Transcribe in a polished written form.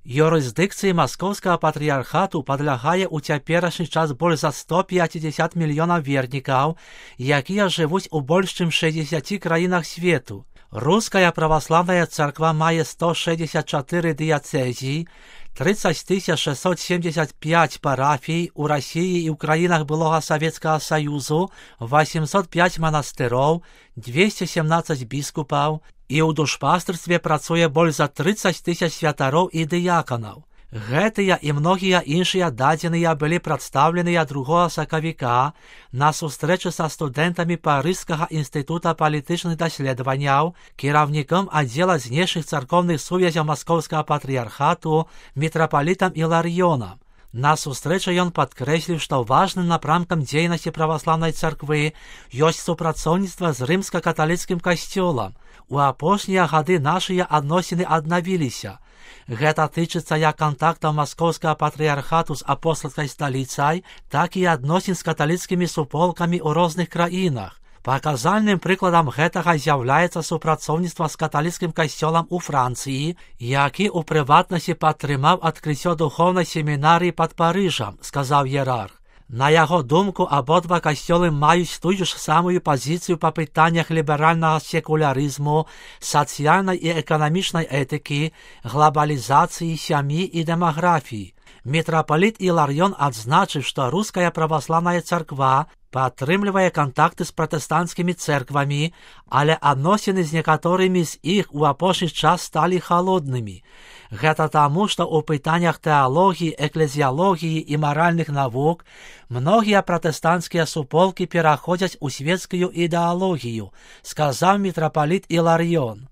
Юрисдикції Московського патріархату підлягає у теперішній час більш за 150 мільйонів вірників, які живуть у більш ніж 60 країнах світу. Руська православна церква має 164 дієцезії, 30 675 парафій у Росії і в країнах былого Совєтського Союзу, 805 монастирів, 217 біскупів, і у душпастерстві працює більш за 30 тисяч святарів і діяконів. Гэтыя і многія іншыя дадзеныя былі прадстаўленыя 2 сакавіка на сустрэчы са студэнтамі Парыжскага інстытута палітычных даследаванняў, кіраўніком аддзела знешніх царкоўных сувязяў Маскоўскага патрыярхату мітрапалітам Іларыёнам. На сустрэчы ён падкрэсліў, што важным напрамкам дзейнасці праваслаўнай царквы ёсць супрацоўніцтва з рымска-каталіцкім касцёлам. У апошнія гады нашыя адносіны аднавіліся. Гэта тычыцца як кантактаў Маскоўскага патрыярхату з апостальскай сталіцай, так і адносін з каталіцкімі суполкамі ў розных краінах. Паказальным прыкладам гэтага з'яўляецца супрацоўніцтва з каталіцкім касцёлам у Францыі, які ў прыватнасці падтрымаў адкрыццё духоўнай семінарыі пад Парыжам, сказаў іерарх. На яго думку, абодва касцёлы маюць тую ж самую пазіцыю па пытаннях ліберальнага секулярызму, сацыяльнай і эканамічнай этыкі, глобалізацыі, сям'і і дэмаграфіі. Мітрапаліт Іларыён адзначыў, што руская праваслаўная царква падтрымлівае кантакты з пратэстанцкімі цэрквамі, але адносіны з некаторымі з іх у апошні час сталі халоднымі. Гэта таму, што ў пытаннях тэалогіі, эклезіялогіі і маральных навук многія пратэстанцкія суполкі пераходзяць у свецкую ідэалогію, сказаў мітрапаліт Іларыён.